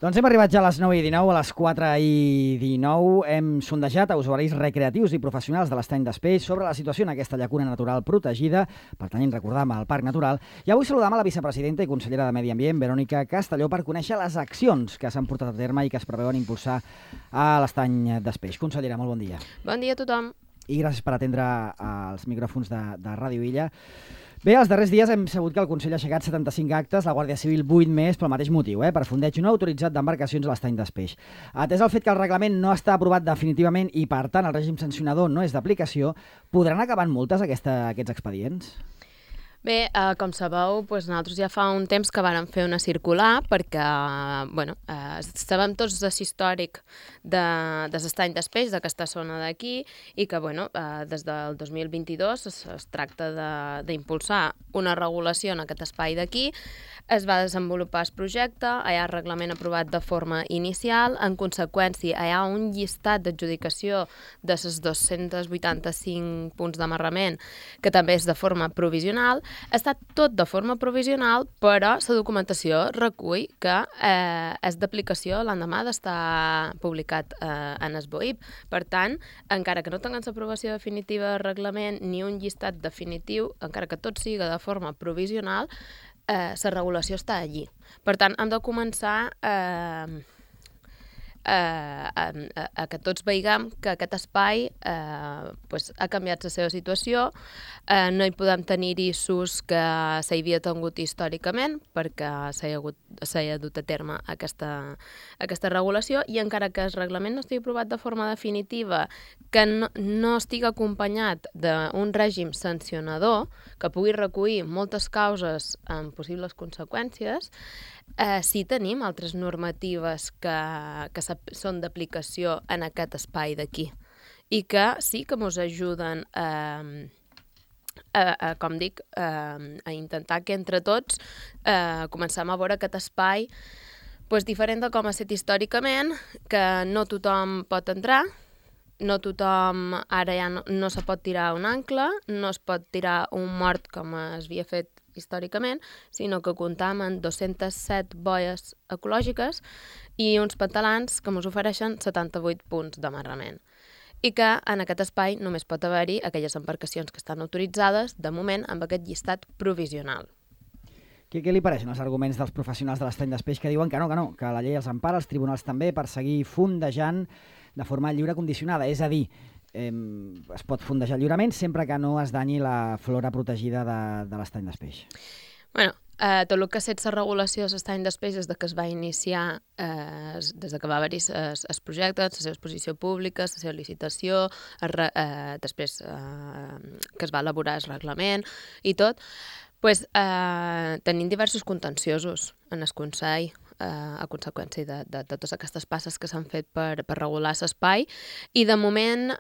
Doncs hem arribat ja a les 9:19, a les 4:19. Hem sondejat a usuaris recreatius i professionals de l'Estany d'Espeix sobre la situació en aquesta llacuna natural protegida, pertanyent, recordam, al Parc Natural. I avui saludam a la vicepresidenta i consellera de Medi Ambient, Verònica Castelló, per conèixer les accions que s'han portat a terme i que es preveuen impulsar a l'Estany d'Espeix. Consellera, molt bon dia. Bon dia a tothom. I gràcies per atendre els micròfons de Ràdio Illa. Bé, els darrers dies hem sabut que el Consell ha aixecat 75 actes, la Guàrdia Civil 8 més pel mateix motiu, per fondeig no autoritzat d'embarcacions a l'Estany d'Espeix. Atès el fet que el reglament no està aprovat definitivament i, per tant, el règim sancionador no és d'aplicació, podran acabar en multes aquests expedients? Bé, com sabeu, nosaltres ja fa un temps que vàrem fer una circular perquè sabem tots l'històric de l'Estany d'Espeix, d'aquesta zona d'aquí, i que des del 2022 es tracta d'impulsar una regulació en aquest espai d'aquí. Es va desenvolupar el projecte, hi ha reglament aprovat de forma inicial, en conseqüència hi ha un llistat d'adjudicació de les 285 punts d'amarrament que també és de forma provisional. Està tot de forma provisional, però la documentació recull que és d'aplicació l'endemà d'estar publicat en el BOIP. Per tant, encara que no tinguem l'aprovació definitiva del reglament ni un llistat definitiu, encara que tot siga de forma provisional, la regulació està allí. Per tant, hem de començar a que tots veiem que aquest espai ha canviat la seva situació, no hi podem tenir-hi s'ús que s'hi havia tingut històricament perquè s'ha dut a terme aquesta regulació, i encara que el reglament no estigui aprovat de forma definitiva, que no estigui acompanyat d'un règim sancionador que pugui recollir moltes causes amb possibles conseqüències, sí tenim altres normatives que són d'aplicació en aquest espai d'aquí i que sí que ens ajuden a intentar que entre tots comencem a veure aquest espai diferent de com ha estat històricament, que no tothom pot entrar, no tothom ara ja no se pot tirar un ancle, no es pot tirar un mort com es havia fet històricament, sinó que comptam amb 207 boies ecològiques i uns pantalans que ens ofereixen 78 punts d'amarrament. I que en aquest espai només pot haver-hi aquelles embarcacions que estan autoritzades, de moment, amb aquest llistat provisional. Què li pareixen els arguments dels professionals de l'Estany d'Espeix que diuen que no, que la llei els empara, els tribunals també, per seguir fondejant de forma lliure condicionada? És a dir, es pot fondejar lliurement sempre que no es danyi la flora protegida de l'Estany d'Espeix. Tot el que ha estat la regulació de l'Estany d'Espeix des que es va iniciar, des que va haver-hi el projecte, la seva exposició pública, la seva licitació, després que es va elaborar el reglament i tot, tenim diversos contenciosos en el Consell a conseqüència de totes aquestes passes que s'han fet per regular l'espai, i de moment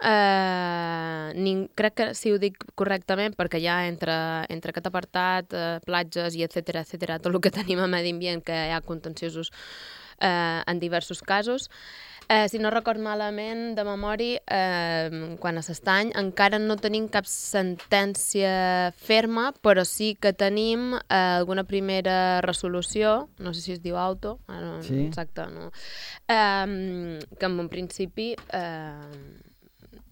crec que si ho dic correctament, perquè ja entre aquest apartat, platges i etcètera, tot el que tenim a Medi Ambient, que hi ha contenciosos en diversos casos. Si no record malament, de memòria, quan a l'Estany encara no tenim cap sentència ferma, però sí que tenim alguna primera resolució, no sé si es diu auto, sí. Exacte, no? Que en un principi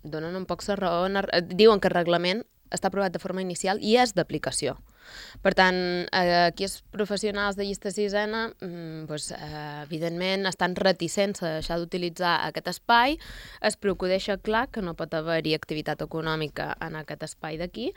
donen un poc la raó, diuen que el reglament està aprovat de forma inicial i és d'aplicació. Per tant, aquí els professionals de llista sisena evidentment estan reticents a deixar d'utilitzar aquest espai. Es deixa clar que no pot haver-hi activitat econòmica en aquest espai d'aquí,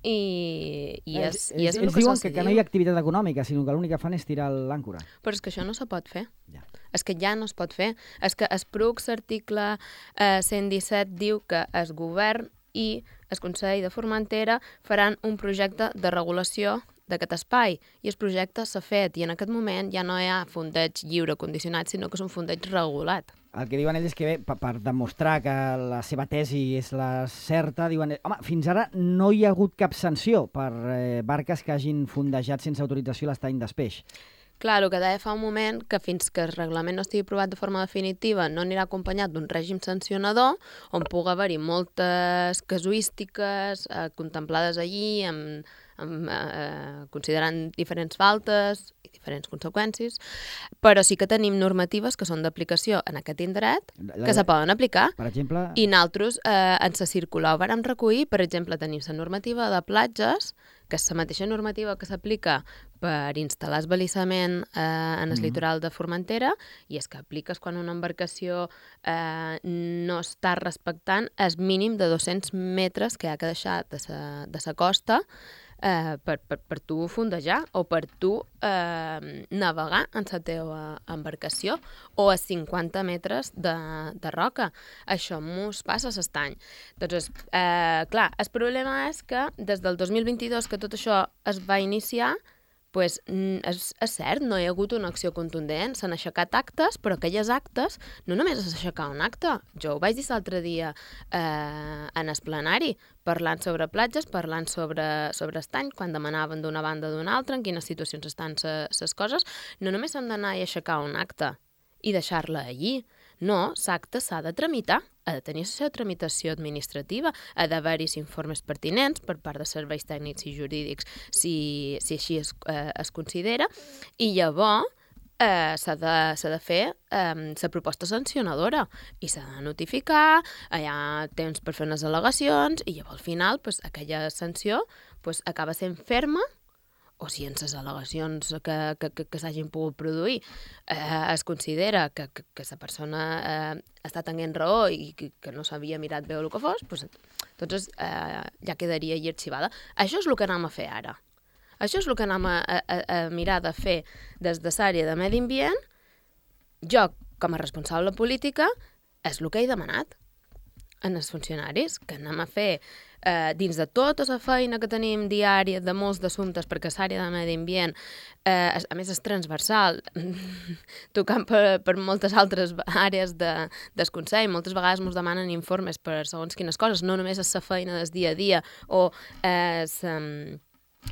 i és el que ells diuen que no hi ha activitat econòmica, sinó que l'únic que fan és tirar l'àncora. Però és que això no se pot fer. Ja. És que ja no es pot fer. És que el PRUC, l'article 117, diu que el govern i el Consell de Formentera faran un projecte de regulació d'aquest espai, i el projecte s'ha fet, i en aquest moment ja no hi ha fondeig lliure condicionat, sinó que és un fondeig regulat. El que diuen ells és que per demostrar que la seva tesi és la certa, diuen, fins ara no hi ha hagut cap sanció per barques que hagin fondejat sense autorització l'Estany d'Espeix. Clar, el que deia fa un moment, que fins que el reglament no estigui aprovat de forma definitiva no anirà acompanyat d'un règim sancionador on pugui haver-hi moltes casuístiques contemplades allí, considerant diferents faltes, diferents conseqüències, però sí que tenim normatives que són d'aplicació en aquest indret, que se poden aplicar. Per exemple... I nosaltres en la circular ho vàrem recollir, per exemple, tenim la normativa de platges, que és la mateixa normativa que s'aplica per instal·lar esbalissament en el litoral de Formentera, i és que apliques quan una embarcació no està respectant el mínim de 200 metres que ha de deixar de la costa per tu fondejar o per tu navegar en la teva embarcació, o a 50 metres de roca. Això mos passa l'estany. Doncs, clar, el problema és que des del 2022 que tot això es va iniciar, pues, és cert, no hi ha hagut una acció contundent, s'han aixecat actes, però aquelles actes no només és aixecar un acte. Jo ho vaig dir l'altre dia en el plenari, parlant sobre platges, parlant sobre estany, quan demanaven d'una banda o d'una altra, en quines situacions estan les coses. No només s'han d'anar i aixecar un acte i deixar-la allí. No, l'acte s'ha de tramitar, ha de tenir la seva tramitació administrativa, ha d'haver-hi informes pertinents per part de serveis tècnics i jurídics si així es considera, i llavors s'ha de fer la proposta sancionadora i s'ha de notificar, hi ha temps per fer unes al·legacions i llavors al final aquella sanció acaba sent ferma, o si en les al·legacions que s'hagin pogut produir es considera que la persona està tenint raó i que no s'havia mirat bé el que fos, doncs ja quedaria allà arxivada. Això és el que anem a fer ara. Això és el que anem a mirar de fer des de l'àrea de medi ambient. Jo, com a responsable política, és el que he demanat en els funcionaris, que anem a fer dins de tota la feina que tenim diària de molts d'assumptes, perquè l'àrea de medi ambient, a més és transversal, tocant per moltes altres àrees del Consell. Moltes vegades ens demanen informes per segons quines coses, no només és la feina del dia a dia o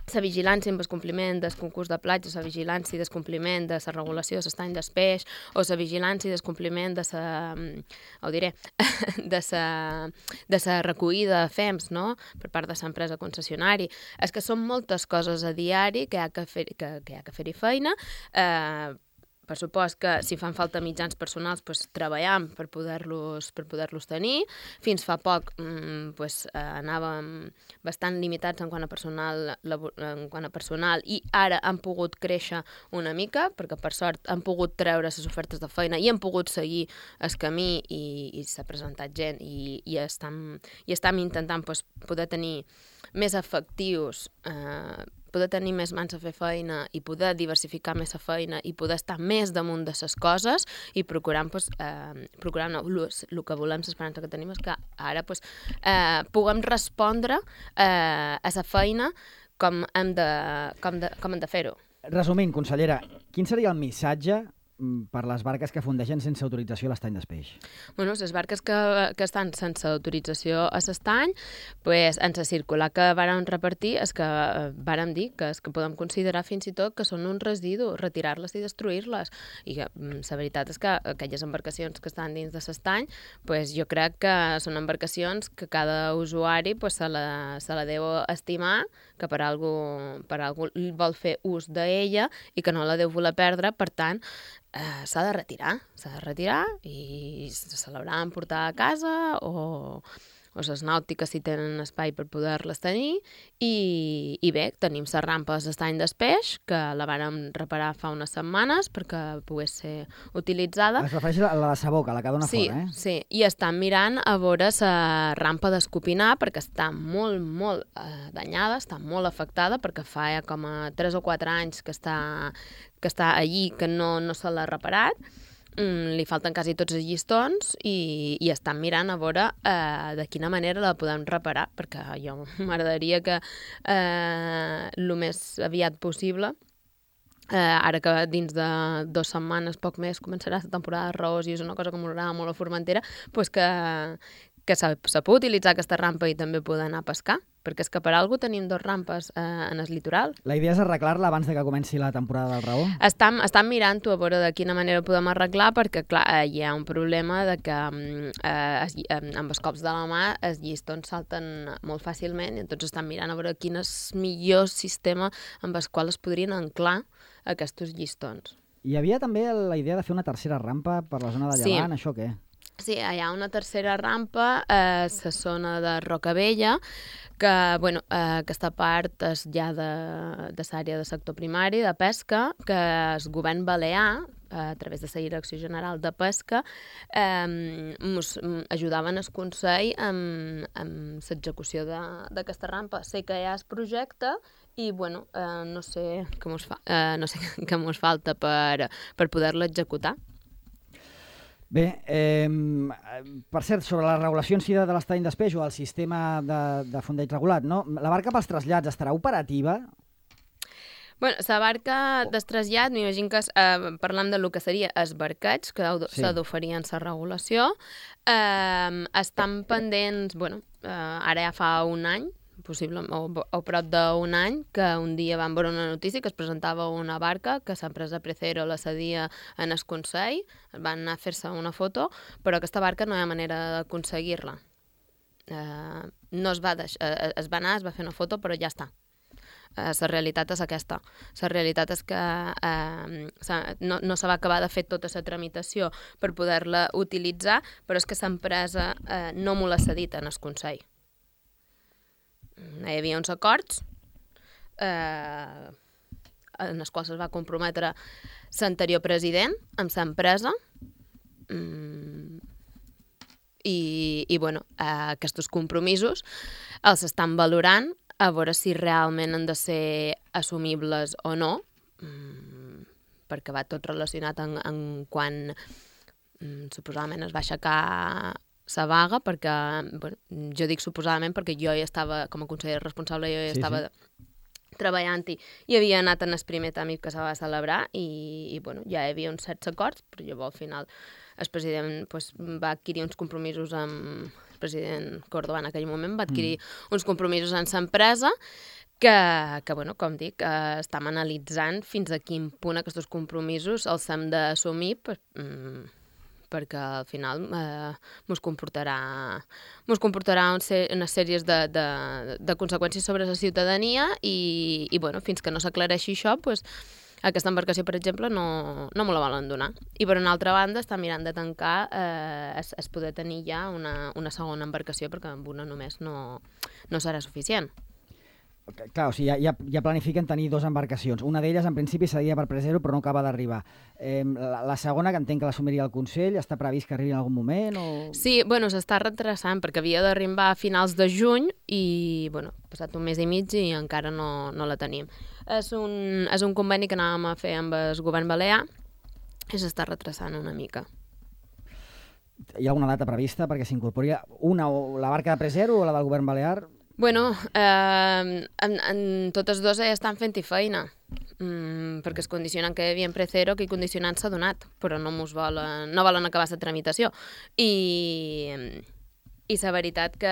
la vigilància amb el compliment del concurs de platges, la vigilància del compliment de la regulació de l'estany del peix, o la vigilància del compliment de la recollida de FEMS, no?, per part de l'empresa concessionària. És que són moltes coses a diari que hi ha que fer-hi feina. Per supost que si fan falta mitjans personals, treballem per poder-los tenir. Fins fa poc anàvem bastant limitats en quant a personal i ara han pogut créixer una mica, perquè per sort han pogut treure les ofertes de feina i han pogut seguir el camí i s'ha presentat gent i estem intentant poder tenir més efectius, poder tenir més mans a fer feina i poder diversificar més la feina i poder estar més damunt de les coses i procurant el que volem, l'esperança que tenim és que ara puguem respondre a la feina com hem de fer-ho. Resumint, consellera, quin seria el missatge per les barques que fondegen sense autorització a l'estany del peix? Bueno, les barques que estan sense autorització a l'estany, en la circular que vàrem repartir, és que vàrem dir que podem considerar fins i tot que són un residu, retirar-les i destruir-les. I la veritat és que aquelles embarcacions que estan dins de l'estany, jo crec que són embarcacions que cada usuari se la deu estimar, que per algú vol fer ús d'ella i que no la deu voler perdre, per tant, s'ha de retirar i se l'hauran de portar a casa o les nàutiques si tenen espai per poder-les tenir i bé, tenim les rampes d'estany del peix que la vàrem reparar fa unes setmanes perquè pogués ser utilitzada. Es refereix a la de Saboca, la que dona fora, eh? Sí, i estan mirant a veure la rampa d'Escopinar perquè està molt, molt danyada, està molt afectada perquè fa ja com a 3 o 4 anys que està allí, que no se l'ha reparat. Li falten quasi tots els llistons i estan mirant a veure de quina manera la podem reparar, perquè jo m'agradaria que el més aviat possible, ara que dins de 2 setmanes, poc més, començarà la temporada de raós i és una cosa que m'agrada molt a Formentera, que se pot utilitzar aquesta rampa i també poder anar a pescar, perquè és que per alguna tenim 2 rampes en el litoral. La idea és arreglar-la abans de que comenci la temporada del raó? Estan mirant-ho a veure de quina manera ho podem arreglar, perquè clar, hi ha un problema de que amb els cops de la mà els llistons salten molt fàcilment i tots estan mirant a veure quin és el millor sistema amb el qual es podrien anclar aquests llistons. Hi havia també la idea de fer una tercera rampa per la zona de Llevant, això què? Sí, hi ha una tercera rampa a la zona de Rocavella, que aquesta part és ja de l'àrea de sector primari, de pesca, que el govern balear, a través de la Direcció General de Pesca, ens ajudaven el Consell amb l'execució d'aquesta rampa. Sé que hi ha el projecte i, no sé què ens falta per poder-lo executar. Bé, per cert, sobre la regulació en si de l'estany d'espeix o el sistema de fondeig regulat, no? La barca pels trasllats estarà operativa? La barca del trasllat, m'imagino que parlant del que seria els barquets, que s'ha d'oferir en la regulació, estan pendents, ara ja fa un any, possible, o prop d'un any, que un dia vam veure una notícia que es presentava una barca que l'empresa Precero la cedia en el Consell, van anar a fer-se una foto, però aquesta barca no hi ha manera d'aconseguir-la. No es va anar, es va fer una foto, però ja està. La realitat és aquesta. La realitat és que no se va acabar de fer tota la tramitació per poder-la utilitzar, però és que l'empresa no m'ho l'ha cedit en el Consell. Hi havia uns acords en els quals es va comprometre l'anterior president amb l'empresa i aquests compromisos els estan valorant a veure si realment han de ser assumibles o no, perquè va tot relacionat en quan suposadament es va aixecar la vaga, perquè jo dic suposadament perquè jo ja estava, com a conseller responsable, estava treballant-hi i havia anat en el primer tràmit que se va celebrar i ja hi havia uns certs acords, però llavors al final el president va adquirir uns compromisos amb el president Córdoba en aquell moment, va adquirir uns compromisos amb l'empresa que com dic, estem analitzant fins a quin punt aquests compromisos els hem d'assumir perquè al final ens comportarà una sèrie de conseqüències sobre la ciutadania i fins que no s'aclareixi això, aquesta embarcació, per exemple, no me la volen donar. I per una altra banda està mirant de tancar es poder tenir ja una segona embarcació perquè amb una només no serà suficient. Clar, o sigui, ja planifiquen tenir 2 embarcacions. Una d'elles, en principi, cedia per Precero, però no acaba d'arribar. La segona, que entenc que l'assumiria el Consell, està previst que arribi en algun moment? O... Sí, s'està retrasant, perquè havia d'arribar a finals de juny i, ha passat un mes i mig i encara no la tenim. És un conveni que anàvem a fer amb el govern balear i s'està retrasant una mica. Hi ha alguna data prevista perquè s'incorpori la barca de Precero o la del govern balear? En totes dues ja estan fent-hi feina, perquè es condicionen que hi havia en Precero, que condicionant s'ha donat, però no volen acabar la tramitació. I la veritat que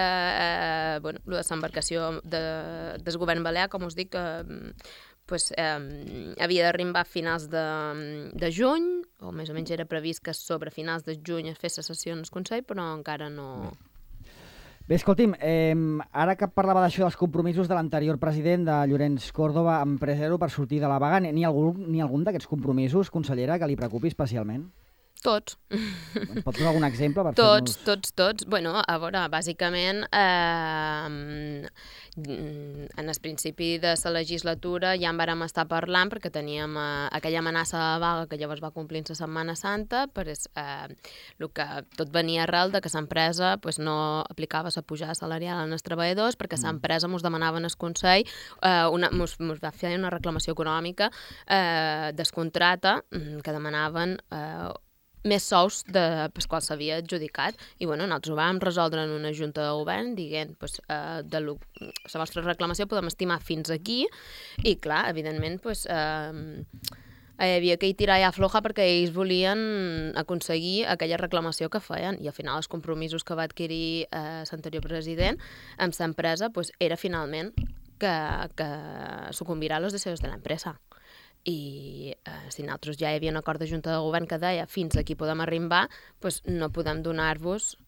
l'embarcació del govern balear, com us dic, havia d'arribar a finals de juny, o més o menys era previst que sobre finals de juny es fes la sessió en el Consell, però encara no... Bé, escolti'm, ara que parlava d'això dels compromisos de l'anterior president de Llorenç Córdoba amb Precero per sortir de la vaga, n'hi ha algun d'aquests compromisos, consellera, que li preocupi especialment? Tots. Pot donar algun exemple? Tots. A veure, bàsicament, en el principi de la legislatura ja en vàrem estar parlant perquè teníem aquella amenaça de vaga que llavors va complir la Setmana Santa, però el que tot venia arrel de que l'empresa no aplicava la pujada salarial als treballadors perquè l'empresa ens demanava en el Consell, ens va fer una reclamació econòmica descontrata que demanaven més sous pels quals s'havia adjudicat i nosaltres ho vam resoldre en una junta de govern dient de la vostra reclamació podem estimar fins aquí i clar, evidentment hi havia que tirar ja floja perquè ells volien aconseguir aquella reclamació que feien i al final els compromisos que va adquirir l'anterior president amb l'empresa era finalment que sucumbirà a los deseos de l'empresa. I si nosaltres ja hi havia un acord de Junta de Govern que deia fins aquí podem arribar, no podem donar-vos...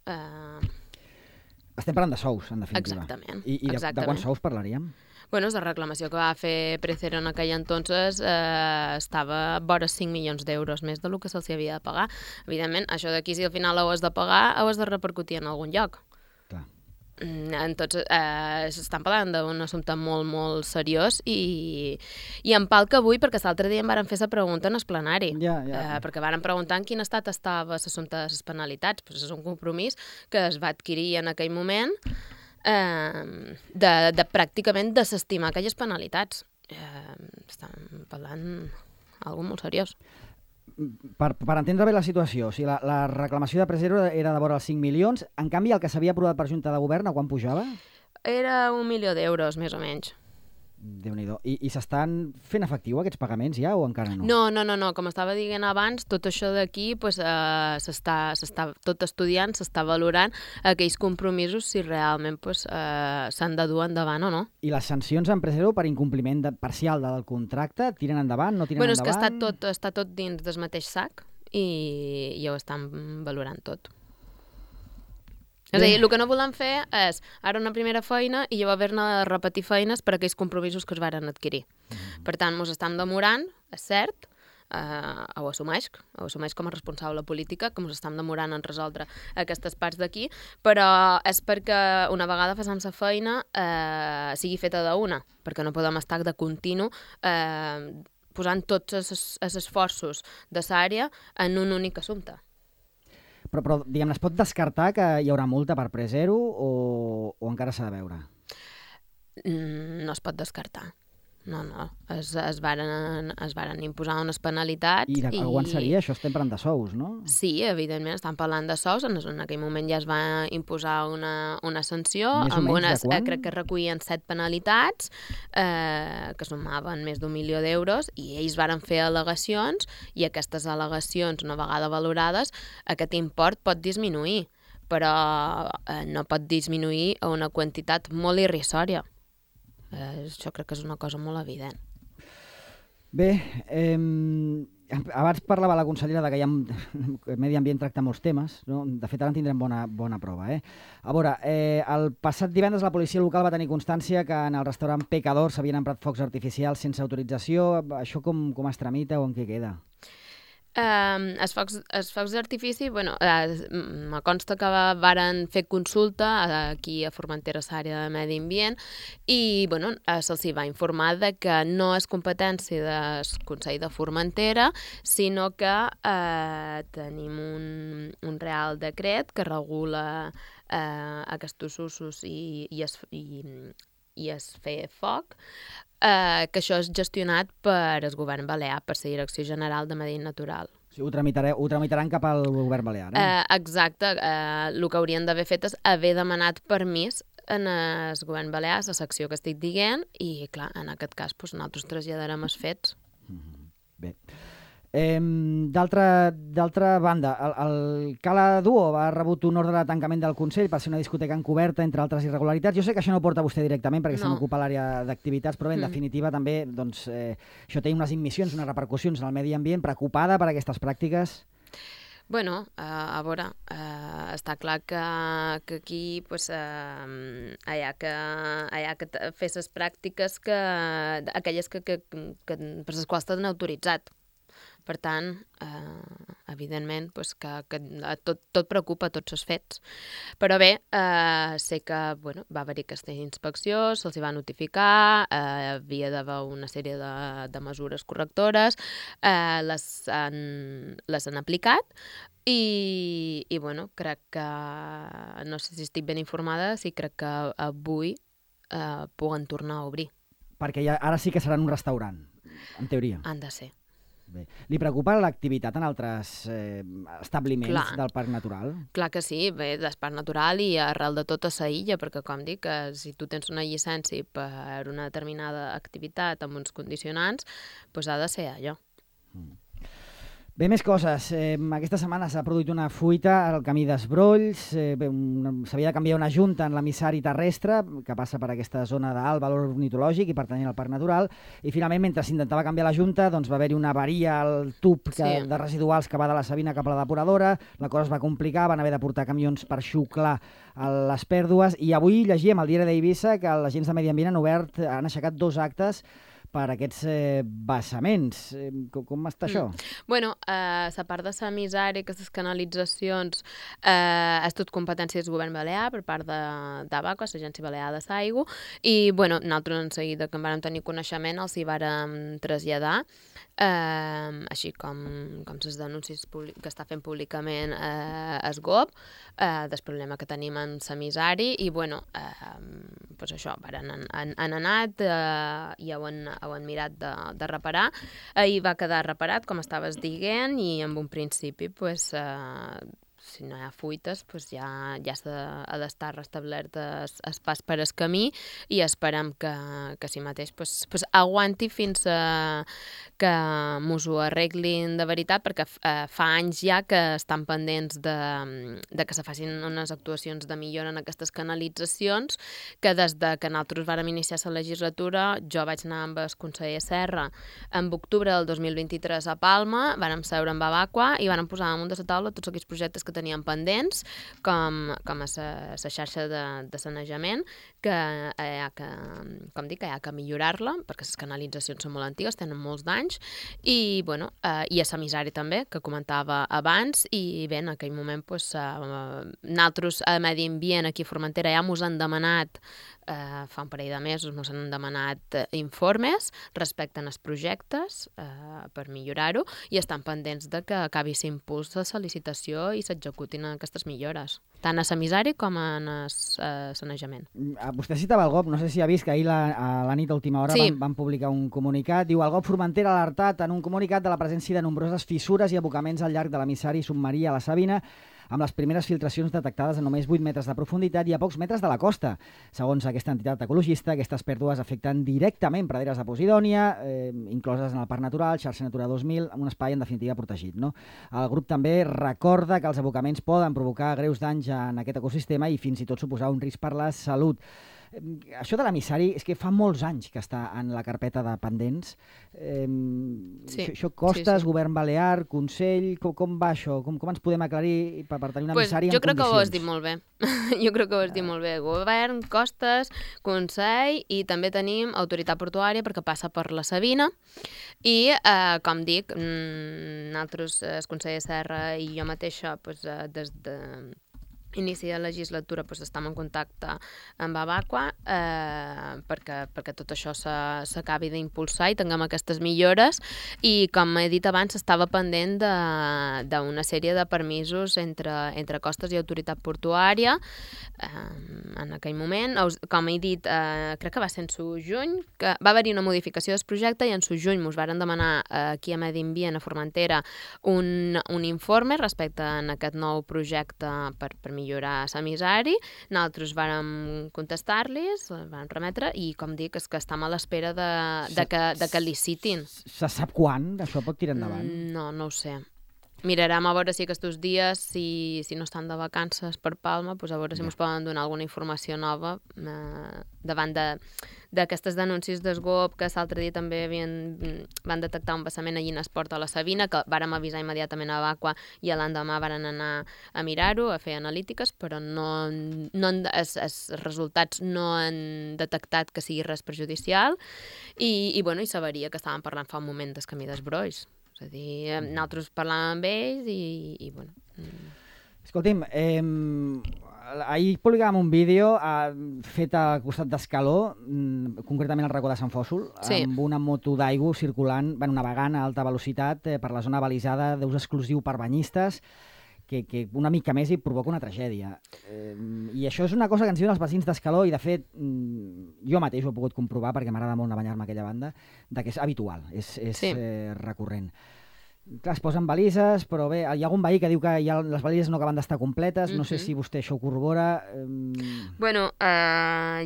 Estem parlant de sous, en definitiva. Exactament. I de quants sous parlaríem? Bueno, la reclamació que va fer Precero en aquell entonces estava vora 5 milions d'euros més del que se'ls havia de pagar. Evidentment, això d'aquí, si al final ho has de pagar, ho has de repercutir en algun lloc. Clar. Entonces, s'estan parlant d'un assumpte molt, molt seriós i em palca avui perquè l'altre dia em varen fer la pregunta en el plenari. Perquè varen preguntar en quin estat estava l'assumpte de les penalitats. Pues és un compromís que es va adquirir en aquell moment de pràcticament desestimar aquelles penalitats. Estan parlant d'alguna molt seriós. Per entendre bé la situació, o sigui, la reclamació de Precero era de vora els 5 milions, en canvi el que s'havia aprovat per Junta de Govern, a quan pujava? Era 1 milió d'euros, més o menys. Déu-n'hi-do. I s'estan fent efectiu aquests pagaments ja o encara no? No. Com estava dient abans, tot això d'aquí pues, s'està tot estudiant, s'està valorant aquells compromisos si realment pues, s'han de dur endavant o no. I les sancions a Precero per incompliment parcial del contracte tiren endavant, no tiren endavant? És que està tot dins del mateix sac i ho estan valorant tot. És a dir, el que no volem fer és ara una primera feina i llavors haver-ne de repetir feines per aquells compromisos que es varen adquirir. Per tant, ens estem demorant, és cert, ho assumeix com a responsable política, que ens estem demorant en resoldre aquestes parts d'aquí, però és perquè una vegada facem la feina sigui feta d'una, perquè no podem estar de continu posant tots els esforços de l'àrea en un únic assumpte. Però diguem-ne, es pot descartar que hi haurà multa per Precero o encara s'ha de veure? No es pot descartar. No. Es varen imposar unes penalitats. I quan seria? Això estem parlant de sous, no? Sí, evidentment, estan parlant de sous. En aquell moment ja es va imposar una sanció. Més o menys de quan? Crec que recuïen 7 penalitats que sumaven més d'1 milió d'euros i ells varen fer al·legacions i aquestes al·legacions, una vegada valorades, aquest import pot disminuir, però no pot disminuir a una quantitat molt irrisòria. Això crec que és una cosa molt evident. Bé, abans parlava la consellera que el medi ambient tracta molts temes, no? De fet ara en tindrem bona prova. A veure, el passat divendres la policia local va tenir constància que en el restaurant Pecador s'havien emprat focs artificials sense autorització. Això com es tramita o en què queda? Els focs d'artifici, me consta que varen fer consulta aquí a Formentera, l'àrea de medi ambient, i se'ls va informar de que no és competència del Consell de Formentera, sinó que tenim un real decret que regula aquests usos i es fer foc, que això és gestionat per el govern balear, per la Direcció General de Medi Natural. O sigui, ho tramitaran cap al govern balear, Exacte. El que haurien d'haver fet és haver demanat permís en el govern balear, la secció que estic dient, i clar, en aquest cas nosaltres traslladarem els fets. Bé. D'altra banda, el Cala Duo ha rebut un ordre de tancament del Consell per ser una discoteca encoberta, entre altres irregularitats. Jo sé que això no porta a vostè directament perquè se n'ocupa l'àrea d'activitats, però bé, en definitiva també això té unes immissions, unes repercussions en el medi ambient. Preocupada per aquestes pràctiques? A veure, està clar que aquí hi ha que fer les pràctiques aquelles per les quals estan autoritzat. Per tant, evidentment, que tot preocupa, tots els fets. Però bé, sé que va haver-hi aquesta inspecció, se'ls va notificar, havia d'haver una sèrie de mesures correctores, les han aplicat i crec que, no sé si estic ben informada, sí crec que avui puguen tornar a obrir. Perquè ara sí que seran un restaurant, en teoria. Han de ser. Bé. Li preocupa l'activitat en altres establiments del Parc Natural? Clar que sí, bé, del Parc Natural i arrel de tota la illa, perquè com dic, si tu tens una llicència per una determinada activitat amb uns condicionants, doncs ha de ser allò. Bé, més coses. Aquesta setmana s'ha produït una fuita al camí d'Esbrolls. S'havia de canviar una junta en l'emissari terrestre que passa per aquesta zona d'alt valor ornitològic i pertanyent al Parc Natural. I finalment, mentre s'intentava canviar la junta, doncs va haver-hi una avaria al tub de residuals que va de la Sabina cap a la depuradora. La cosa es va complicar, van haver de portar camions per xuclar les pèrdues. I avui llegíem al diari d'Eivissa que els agents de Medi Ambient han aixecat 2 actes per aquests vessaments. Com està això? Bueno, la part de l'emissari, aquestes canalitzacions, és tot competència del govern balear per part d'ABACO, l'Agència Balear de l'Aigua, i bueno, nosaltres en seguida que en vam tenir coneixement els hi vàrem traslladar, així com les denúncies que està fent públicament el GOB, del problema que tenim en l'emissari, i bueno, doncs això, han anat i ho han mirat de reparar. Ahir va quedar reparat, com estaves dient, i en un principi, pues, si no hi ha fuites, pues ja ha d'estar restablert el pas per el camí i esperem que si mateix pues aguanti fins que mos ho arreglin de veritat, perquè fa anys ja que estan pendents de que se facin unes actuacions de millora en aquestes canalitzacions, que des de que nosaltres vàrem iniciar la legislatura, jo vaig anar amb el conseller Serra en octubre del 2023 a Palma, vàrem seure amb Abaqua i vàrem posar damunt de la taula tots aquells projectes que tenien pendents, com a la xarxa de sanejament, que com dic, hi ha que millorar-la, perquè les canalitzacions són molt antigues, tenen molts d'anys, i bueno, i a l'emissari també, que comentava abans, i bé, en aquell moment nosaltres a Medi Ambient aquí a Formentera ja mos han demanat fa un parell de mesos ens han demanat informes respecte als projectes per millorar-ho i estan pendents de que acabi l'impuls de la licitació i s'executin aquestes millores, tant a l'emissari com a sanejament. Vostè citava el GOB, no sé si ha vist que ahir a la nit a última hora van publicar un comunicat. Diu, el GOB Formentera ha alertat en un comunicat de la presència de nombroses fissures i abocaments al llarg de l'emissari submarí a la Sabina, amb les primeres filtracions detectades a només 8 metres de profunditat i a pocs metres de la costa. Segons aquesta entitat ecologista, aquestes pèrdues afecten directament praderes de Posidònia, incloses en el Parc Natural, xarxa Natura 2000, un espai en definitiva protegit. No? El grup també recorda que els abocaments poden provocar greus danys en aquest ecosistema i fins i tot suposar un risc per la salut. Això de l'emissari és que fa molts anys que està en la carpeta de pendents. Això costes, govern balear, Consell, com va això? Com ens podem aclarir per tenir un emissari en condicions? Jo crec que ho has dit molt bé. Jo crec que ho has dit molt bé. Govern, costes, Consell i també tenim autoritat portuària perquè passa per la Sabina i, com dic, nosaltres, el conseller Serra i jo mateixa, des de inici de legislatura estem en contacte amb Abaqua perquè tot això s'acabi d'impulsar i tinguem aquestes millores i, com he dit abans, estava pendent d'una sèrie de permisos entre costes i autoritat portuària en aquell moment. Com he dit, crec que va ser en su juny, que va haver-hi una modificació del projecte i en su juny mos varen demanar aquí a Medi Ambient, a Formentera, un informe respecte a aquest nou projecte per millorar l'emissari. Nosaltres vàrem contestar-los, vàrem remetre i, com dic, és que estem a l'espera de que licitin. Se sap quan això pot tirar endavant? No ho sé. Mirarem a veure si aquests dies, si no estan de vacances per Palma, a veure si ens poden donar alguna informació nova davant d'aquestes denúncies del GOB, que l'altre dia també van detectar un vessament allí en Esport a la Sabina, que vàrem avisar immediatament a Abaqua i l'endemà varen anar a mirar-ho, a fer analítiques, però els resultats no han detectat que sigui res perjudicial i s'averia que estàvem parlant fa un moment del camí d'Esbrolls. És a dir, nosaltres parlàvem amb ells i bueno... Escolti'm, ahir publicàvem un vídeo fet al costat d'Escaló, concretament al racó de Sant Fòssol, amb una moto d'aigua circulant, navegant a alta velocitat per la zona balisada d'ús exclusiu per banyistes, que una mica més hi provoca una tragèdia. I això és una cosa que ens diuen els veïns d'Escaló i, de fet, jo mateix ho he pogut comprovar perquè m'agrada molt anar a banyar-me a aquella banda, que és habitual, és recurrent. Clar, es posen balises, però bé, hi ha algun veí que diu que les balises no acaben d'estar completes, no sé si vostè això ho corrobora. Bueno,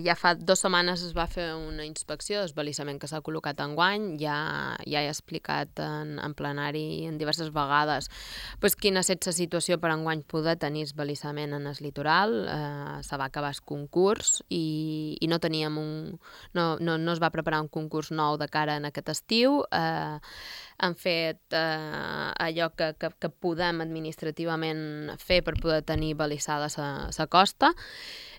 ja fa 2 setmanes es va fer una inspecció d'esbalissament que s'ha col·locat enguany, ja he explicat en plenari en diverses vegades pues, quina és la situació per enguany poder tenir esballissament en el litoral. Se va acabar el concurs i no teníem no es va preparar un concurs nou de cara en aquest estiu. Han fet allò que podem administrativament fer per poder tenir balissada la costa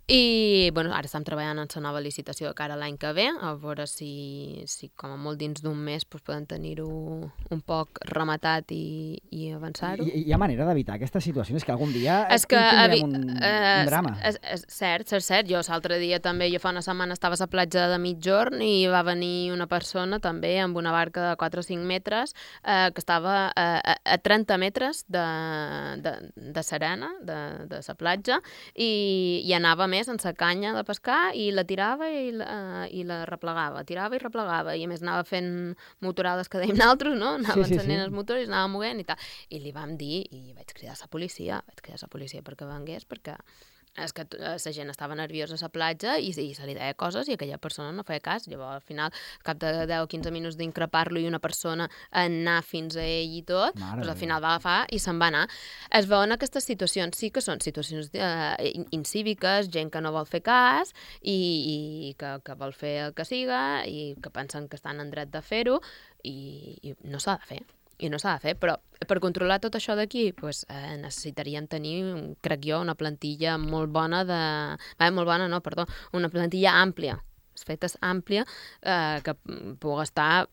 i bueno, ara estem treballant en la nova licitació de cara a l'any que ve, a veure si com a molt dins d'un mes doncs, podem tenir-ho un poc rematat i avançar-ho. Hi ha manera d'evitar aquesta situació? És que algun dia tindrem un drama. És cert. Jo l'altre dia també, jo fa una setmana estava a la platja de Migjorn i va venir una persona també amb una barca de 4 o 5 metres que estava a 30 metres de serena, de la platja, i anava més en la canya de pescar i la tirava i la replegava, tirava i replegava, i a més anava fent motorades que dèiem nosaltres, no? Anava encenent els motors i anava movent i tal. I li vam dir, i vaig cridar a la policia perquè vengués, perquè és que la gent estava nerviosa a la platja i se li deia coses i aquella persona no feia cas. Llavors, al final, al cap de 10 o 15 minuts d'increpar-lo i una persona anar fins a ell i tot, doncs al final va agafar i se'n va anar. Es veuen aquestes situacions, sí que són situacions incíviques, gent que no vol fer cas i que vol fer el que siga i que pensen que estan en dret de fer-ho i no s'ha de fer. Però per controlar tot això d'aquí necessitaríem tenir, crec jo, una plantilla molt bona una plantilla àmplia, feta àmplia, que pugui estar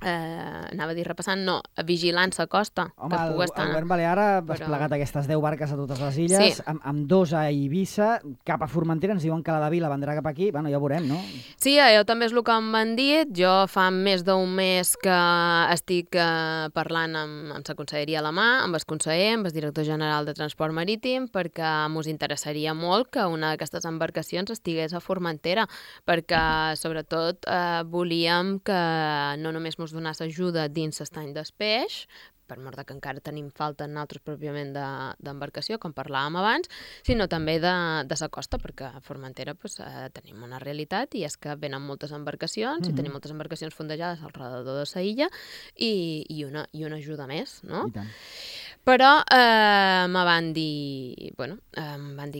anava a dir repassant, vigilant la costa. Home, el govern balear ha desplegat aquestes 10 barques a totes les illes, amb 2 a Eivissa, cap a Formentera, ens diuen que la de Vila vendrà cap aquí, bueno, ja ho veurem, no? Sí, jo també és el que m'han dit, jo fa més d'un mes que estic parlant amb la conselleria a la mà, amb el conseller, amb el director general de Transport Marítim, perquè mos interessaria molt que una d'aquestes embarcacions estigués a Formentera, perquè sobretot volíem que no només mos donàs ajuda dins l'estany d'espeix, per mort que encara tenim falta nosaltres pròpiament d'embarcació, com parlàvem abans, sinó també de la costa, perquè a Formentera tenim una realitat i és que venen moltes embarcacions i tenim moltes embarcacions fondejades al redador de la illa i una ajuda més, no? I tant. Però em van dir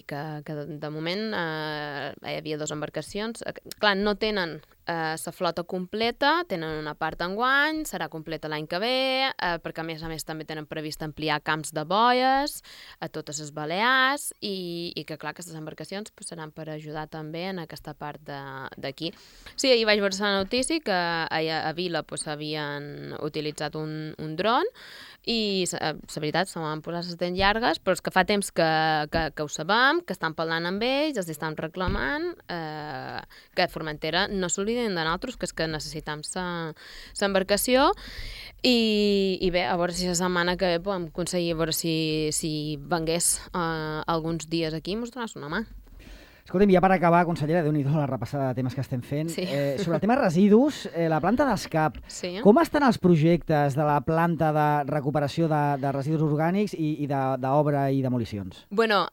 que de moment hi havia 2 embarcacions. Clar, no tenen la flota completa, tenen una part enguany, serà completa l'any que ve, perquè a més també tenen previst ampliar camps de boies a totes les Balears i que clar, aquestes embarcacions seran per ajudar també en aquesta part d'aquí. Sí, ahir vaig veure la notícia que a Vila havien utilitzat un dron i la veritat se m'han posat les dents llargues, però és que fa temps que ho sabem, que estan parlant amb ells, els estan reclamant que a Formentera no s'obliden de nosaltres, que és que necessitem l'embarcació i bé, a veure si la setmana que ve podem aconseguir, a veure si vengués alguns dies aquí i mos donàs una mà. Escolta'm, ja per acabar, consellera, Déu-n'hi-do la repassada de temes que estem fent. Sí. Sobre el tema residus, la planta d'escap, sí. Com estan els projectes de la planta de recuperació de residus orgànics i d'obra i demolicions? Bueno,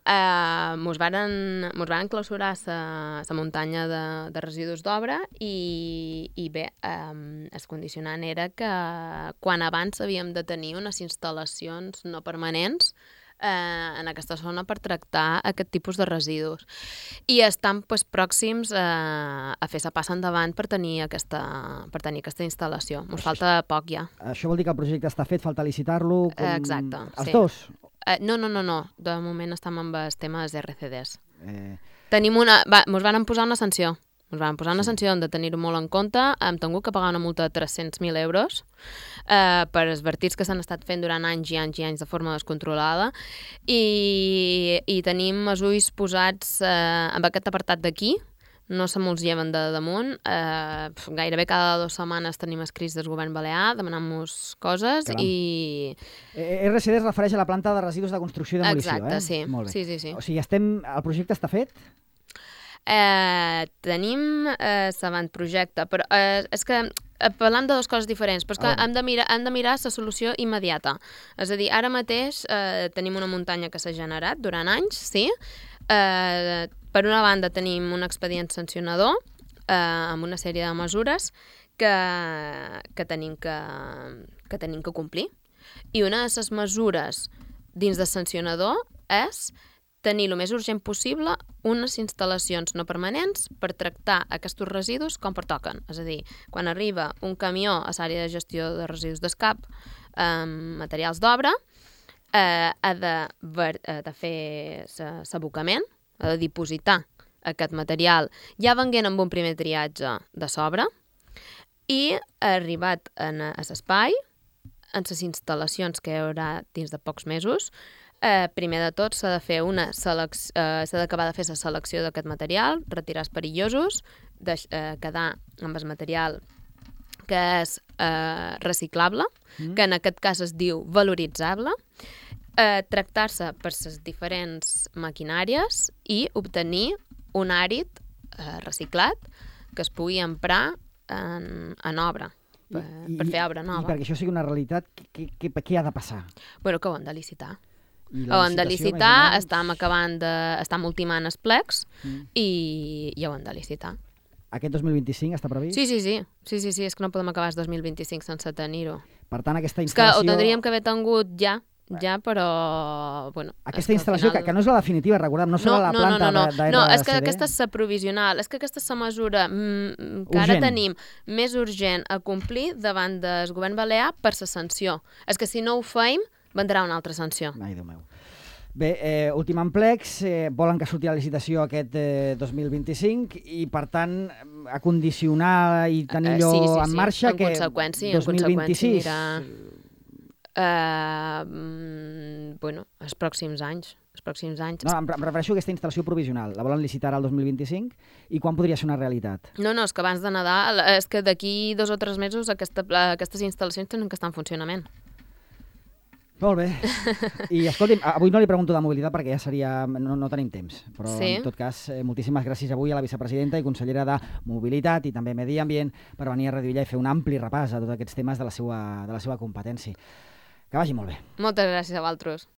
mos varen clausurar la muntanya de residus d'obra i bé, el condicionant era que quan abans havíem de tenir unes instal·lacions no permanents en aquesta zona per tractar aquest tipus de residus. I estan pròxims a fer la passa endavant per tenir aquesta instal·lació. Ens falta poc ja. Això vol dir que el projecte està fet, falta licitar-lo? Exacte. Els dos? No. De moment estem amb el tema dels RCDs. Ens van posar una sanció. Ens van posar una sanció de tenir-ho molt en compte. Hem tingut que pagar una multa de 300.000 euros per els vertits que s'han estat fent durant anys i anys i anys de forma descontrolada i tenim els ulls posats en aquest apartat d'aquí. No se mos lleven de damunt. Gairebé cada 2 setmanes tenim escrits del govern balear demanant-nos coses i... RCD es refereix a la planta de residus de construcció i demolició, Exacte, sí. Molt bé. Sí. O sigui, el projecte està fet? Tenim l'avantprojecte, però és que parlant de dues coses diferents, però és que hem de mirar la solució immediata. És a dir, ara mateix tenim una muntanya que s'ha generat durant anys, sí. Per una banda tenim un expedient sancionador amb una sèrie de mesures que tenim que complir. I una de les mesures dins de sancionador és tenir el més urgent possible unes instal·lacions no permanents per tractar aquests residus com pertoquen. És a dir, quan arriba un camió a l'àrea de gestió de residus d'escap amb materials d'obra, ha de fer l'abocament, ha de dipositar aquest material ja venguent amb un primer triatge de sobre i ha arribat a l'espai, en les instal·lacions que hi haurà dins de pocs mesos. Primer de tot s'ha d'acabar de fer la selecció d'aquest material, retirar els perillosos, quedar amb el material que és reciclable, que en aquest cas es diu valoritzable, tractar-se per les diferents maquinàries i obtenir un àrid reciclat que es pugui emprar en obra, per fer obra nova. I perquè això sigui una realitat, què ha de passar? Bueno, que ho hem de licitar. Ho hem de licitar, estem ultimant els plecs i ho hem de licitar. Aquest 2025 està previst? Sí, és que no podem acabar el 2025 sense tenir-ho. Per tant, aquesta instal·lació... És que ho tindríem que haver tingut ja, però... Bueno, aquesta instal·lació, que no és la definitiva, recordem, no serà la planta d'ARCD. No, és que aquesta és la provisional, és que aquesta és la mesura que ara tenim més urgent a complir davant del govern balear per la sanció. És que si no ho feim, vendrà una altra sanció. Ai, Déu meu. Bé, ultimant plecs, volen que surti la licitació aquest 2025 i, per tant, a condicionar i tenir-lo en marxa que 2026... Bueno, els pròxims anys. No, em refereixo a aquesta instal·lació provisional. La volen licitar al 2025 i quan podria ser una realitat? No, és que abans de Nadal, és que d'aquí 2 o 3 mesos aquestes instal·lacions tenen que estar en funcionament. Molt bé. I escolti'm, avui no li pregunto de mobilitat perquè ja seria... No tenim temps. Però en tot cas, moltíssimes gràcies avui a la vicepresidenta i consellera de Mobilitat i també Medi Ambient per venir a Radio Illa i fer un ampli repàs a tots aquests temes de la seva competència. Que vagi molt bé. Moltes gràcies a vosaltres.